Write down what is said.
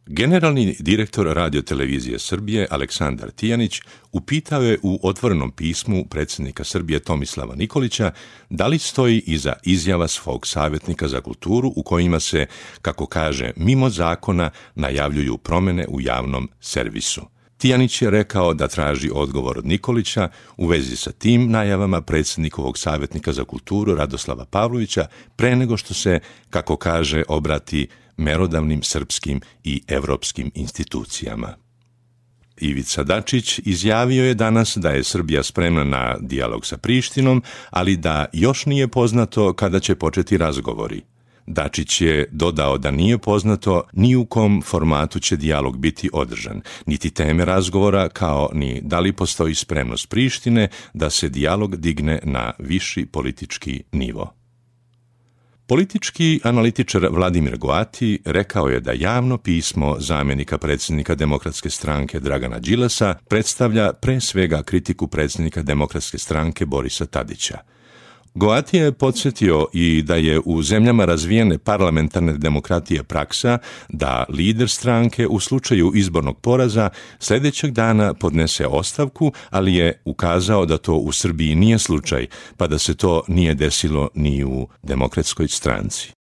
Generalni direktor Radio-televizije Srbije Aleksandar Tijanić upitao je u otvorenom pismu predsjednika Srbije Tomislava Nikolića da li stoji iza izjava svog savjetnika za kulturu u kojima se, kako kaže, mimo zakona najavljuju promjene u javnom servisu. Tijanić je rekao da traži odgovor od Nikolića u vezi sa tim najavama predsjednikovog savjetnika za kulturu Radoslava Pavlovića pre nego što se, kako kaže, obrati merodavnim srpskim i evropskim institucijama. Ivica Dačić izjavio je danas da je Srbija spremna na dijalog sa Prištinom, ali da još nije poznato kada će početi razgovori. Dačić je dodao da nije poznato ni u kom formatu će dijalog biti održan, niti teme razgovora, kao ni da li postoji spremnost Prištine da se dijalog digne na viši politički nivo. Politički analitičar Vladimir Goati rekao je da javno pismo zamjenika predsjednika Demokratske stranke Dragana Đilasa predstavlja pre svega kritiku predsjednika Demokratske stranke Borisa Tadića. Goati je podsjetio i da je u zemljama razvijene parlamentarne demokratije praksa da lider stranke u slučaju izbornog poraza sljedećeg dana podnese ostavku, ali je ukazao da to u Srbiji nije slučaj, pa da se to nije desilo ni u Demokratskoj stranci.